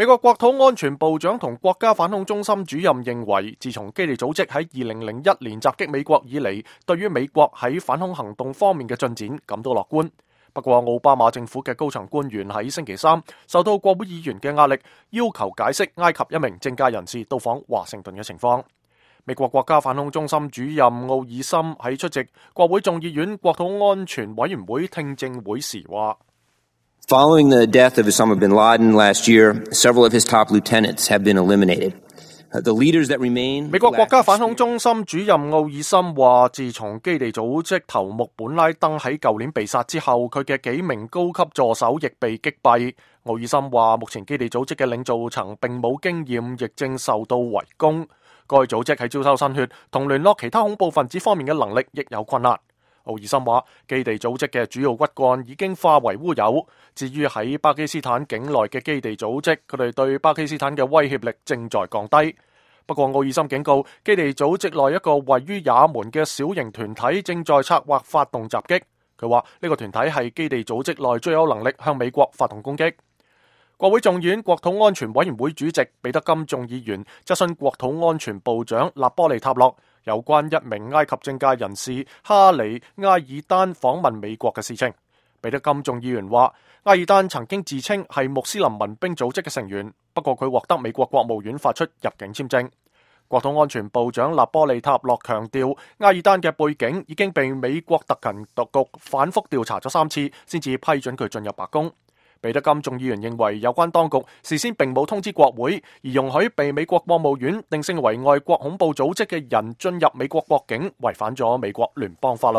美國國土安全部長同國家反恐中心主任認為，自從基地組織喺2001年襲擊美國以嚟，對於美國喺反恐行動方面嘅進展感到樂觀。不過，奧巴馬政府嘅高層官員喺星期三受到國會議員嘅壓力，要求解釋埃及一名政界人士到訪華盛頓嘅情況。美國國家反恐中心主任奧爾森喺出席國會眾議院國土安全委員會聽證會時話：Following the death of Osama bin Laden last year, several of his top lieutenants have been eliminated. The leaders that remain. 美國國家反恐中心主任奧爾森話，自從基地組織頭目本拉登喺舊年被殺之後，佢嘅幾名高級助手亦被擊斃。奧爾森話，目前基地組織嘅領導層並冇經驗，亦正受到圍攻。該組織喺招收新血同聯絡其他恐怖分子方面嘅能力亦有困難。奧爾森話，基地組織嘅主要骨幹已經化為烏有。至於喺巴基斯坦境內嘅基地組織，佢哋對巴基斯坦嘅威脅力正在降低。不過，奧爾森警告，基地組織內一個位於也門嘅小型團體正在策劃發動襲擊。佢話呢個團體係基地組織內最有能力向美國發動攻擊。國會眾議院國土安全委員會主席彼得金眾議員質詢國土安全部長納波利塔洛有關一名埃及政界人士哈里埃爾丹訪問美國嘅事情。彼得金眾議員話，埃爾丹曾經自稱係穆斯林民兵組織嘅成員，不過佢獲得美國國務院發出入境簽證。國土安全部長納波利塔洛強調，埃爾丹嘅背景已經被美國特勤局反覆調查咗3次，先至批准佢進入白宮。彼得金眾議員認為，有關當局事先並冇通知國會，而容許被美國國務院定性為外國恐怖組織嘅人進入美國國境，違反咗美國聯邦法律。